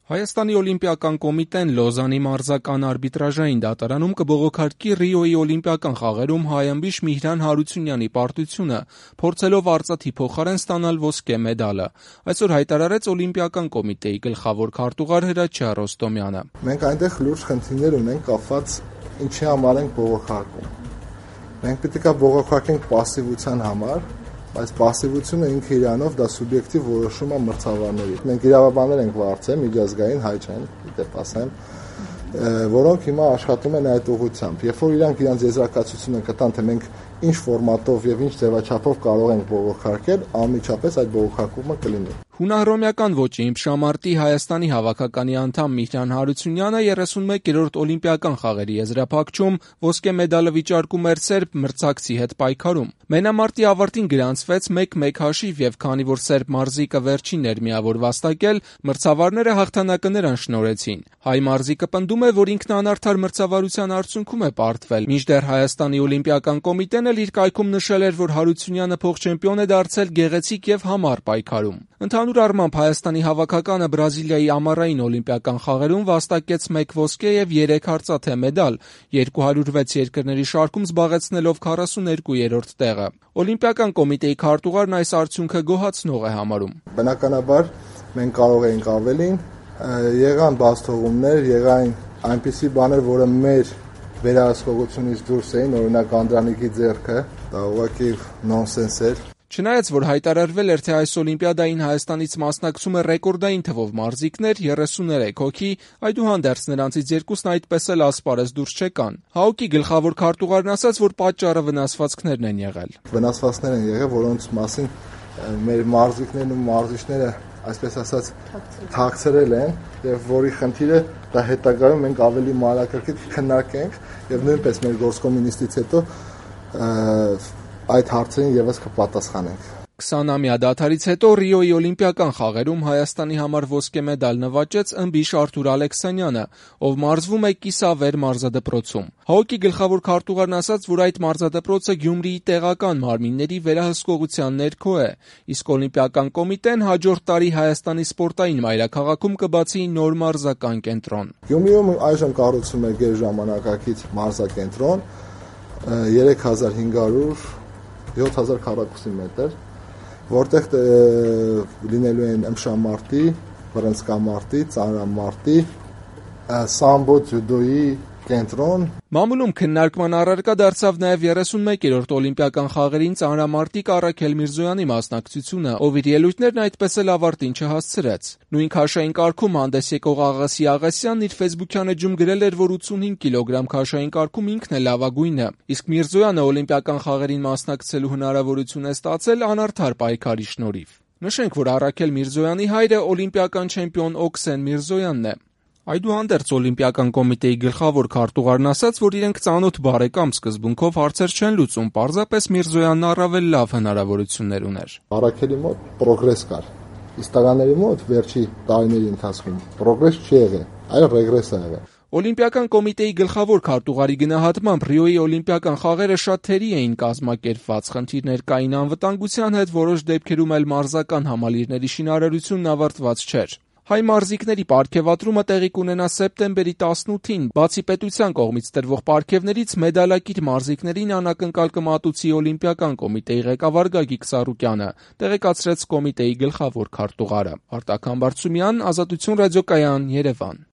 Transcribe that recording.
Հայաստանի օլիմպիական կոմիտեն Լոզանի մարզական արբիտրաժային դատարանում կբողոքարկի Ռիոյի օլիմպիական խաղերում հայ ըմբիշ Միհրան Հարությունյանի պարտությունը, փորձելով արծաթի փոխարեն ստանալ ոսկե մեդալը, այսօր հայտարարեց օլիմպիական կոմիտեի գլխավոր քարտուղար Հրաչյա Ռոստոմյանը։ Մենք այնտեղ լուրջ խնդիրներ ունենք կապված ինչի համար ենք բողոքարկում։ Մենք պետք է բողոքարկենք պասիվության համար, բայց պասիվությունը ինքը իրանով դա սուբյեկտիվ որոշում է մրցավարների։ Մենք իրավաբաններ ենք վարձել, միջազգային հայ չեն, դեպ ասեմ, որոնք հիմա աշխատում են այդ ուղղությամբ։ Երբ որ իրանք իրենց եզրակացությունը կտան, թե մենք ինչ ֆորմատով եւ ինչ ձևաչափով կարող ենք բողոքարկել, անմիջապես այդ բողոքարկումը կլինի։ Հունահռոմեական ոճի իմպշամարտի Հայաստանի հավաքականի անդամ Միհրան Հարությունյանը 31-րդ օլիմպիական խաղերի եզրափակչում ոսկե մեդալը վիճարկում էր սերբ մրցակցի հետ պայքարում։ Մենամարտի ավարտին գրանցվեց 1-1 հաշիվ եւ քանի որ սերբ մարզիկը վերջինն էր միավոր վաստակել, մրցավարները հաղթանակը նրան շնորհեցին։ Հայ մարզիկը պնդում է, որ ինքն անարդար մրցավարության արդյունքում է պարտվել, մինչդեռ Հայաստանի օլիմպիական կոմիտեն էլ իր կայքում նշել էր, որ Հարությունյանը փոխ-չեմպիոն է դարձել գեղեցիկ եւ համառ պայքարում։ Ընդհանուր առմամբ Հայաստանի հավաքականը Բրազիլիայի ամառային օլիմպիական խաղերում վաստակեց 1 ոսկե եւ 3 արծաթե մեդալ, 206 երկրների շարքում զբաղեցնելով 42-րդ տեղը։ Օլիմպիական կոմիտեի քարտուղարն այս արդյունքը գոհացնող է համարում։ Բնականաբար մենք կարող էինք ավելին, եղան բացթողումներ, եղան այնպիսի բաներ, որը մեր վերահսկողությունից դուրս էին, օրինակ Անդրանիկի ձեռքը, դա ուղղակի նոնսենս էր։ Չնայած որ հայտարարվել էր, թե այս օլիմպիադային Հայաստանից մասնակցում է ռեկորդային թվով մարզիկներ 33 հոգի, այդուհանդերձ նրանցից երկուսն այդպես էլ ասպարեզ դուրս չեկան։ ՀԱՕԿ-ի գլխավոր քարտուղարն ասաց, որ պատճառը վնասվածքներն են եղել։ Վնասվածքներ են եղել, որոնց մասին մեր մարզիկներն ու մարզիչները, այսպես ասած, թաքցրել են, եւ որի խնդիրը դա հետագայում մենք ավելի մանրակրկիտ քննարկենք եւ նույնպես մեր գործկոմի նիստից հետո այդ հարցերին եւս կպատասխանենք։ 20-ամյա դադարից հետո Ռիոյի օլիմպիական խաղերում Հայաստանի համար ոսկե մեդալ նվաճեց ըմբիշ Արթուր Ալեքսանյանը, ով մարզվում է Կիսավեր մարզադպրոցում։ ՀԱՕԿ-ի գլխավոր քարտուղարն ասաց, որ այդ մարզադպրոցը Գյումրիի տեղական մարմինների վերահսկողության ներքո է, իսկ օլիմպիական կոմիտեն հաջորդ տարի Հայաստանի սպորտային մայրաքաղաքում կբացի նոր մարզական կենտրոն։ Գյումրիում այժմ կառուցվում է գերժամանակակից մարզակենտրոն 3500 7000 քառակուսի մետր, որտեղ լինելու են ըմբշամարտի, բռնցքամարտի, ծանրամարտի, սամբո ձյուդոյի կենտրոն։ Մամուլում քննարկման առարկա դարձավ նաև 31-րդ օլիմպիական խաղերին ծանրամարտիկ Առաքել Միրզոյանի մասնակցությունը, ով իր ելույթներն այդպես էլ ավարտին չհասցրեց։ Նույն քաշային կարգում հանդես եկող Աղասի Աղասյանն իր ֆեյսբուքյան էջում գրել էր, որ 85 կիլոգրամ քաշային կարգում ինքն է լավագույնը, իսկ Միրզոյանը օլիմպիական խաղերին մասնակցելու հնարավորություն է ստացել անարդար պայքարի շնորհիվ։ Նշենք, որ Առաքել Միրզոյանի հայրը օլիմպիական չեմպիոն Օքսեն Միրզոյանն է։ Այդուհանդերձ օլիմպիական կոմիտեի գլխավոր քարտուղարն ասաց, որ իրենք ծանոթ բարեկամ սկզբունքով հարցեր չեն լուծում, պարզապես Միրզոյանն առավել լավ հնարավորություններ ուներ։ Առաքելի մոտ պրոգրես կար, իսկ տղաների մոտ վերջի տարիների ընթացքում պրոգրես չի եղել, այլ ռեգրես է եղել։ Օլիմպիական կոմիտեի գլխավոր քարտուղարի գնահատմամբ Ռիոյի օլիմպիական խաղերը շատ թերի էին կազմակերպված, խնդիրներ կային անվտանգության հետ, որոշ դեպքերում էլ մարզական համալիրների շինարարությունն ավարտված չէր։ Հայ մարզիկների պարգևատրումը տեղի կունենա սեպտեմբերի 18-ին, բացի պետության կողմից տրվող պարգևներից մեդալակիր մարզիկներին անակնկալ կմատուցի օլիմպիական կոմիտեի ղեկավար Գագիկ Սարուկյանը, տեղեկացրեց կոմիտեի գլխավոր քարտուղարը։ Արտակ Համբարձումյան, Ազատություն ռադիոկայան, Երևան։